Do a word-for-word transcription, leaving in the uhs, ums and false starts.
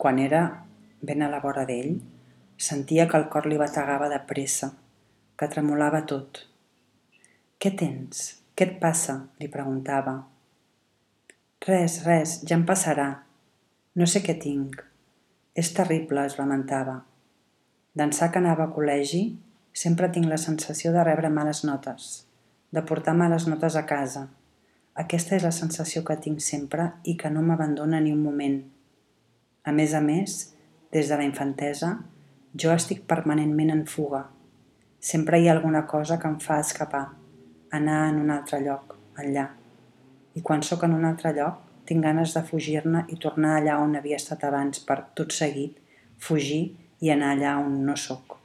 Quan era ben a la vora d'ell, sentia que el cor li bategava de pressa, que tremolava tot. «Què tens? Què et passa?», li preguntava. «Res, res, ja em passarà. No sé què tinc. És terrible», es lamentava. D'ençà que anava a col·legi, sempre tinc la sensació de rebre males notes, de portar males notes a casa. Aquesta és la sensació que tinc sempre i que no m'abandona ni un moment. A més a més, des de la infantesa, jo estic permanentment en fuga. Sempre hi ha alguna cosa que em fa escapar, anar en un altre lloc, enllà. I quan sóc en un altre lloc, tinc ganes de fugir-ne i tornar allà on havia estat abans per, tot seguit, fugir i anar allà on no sóc.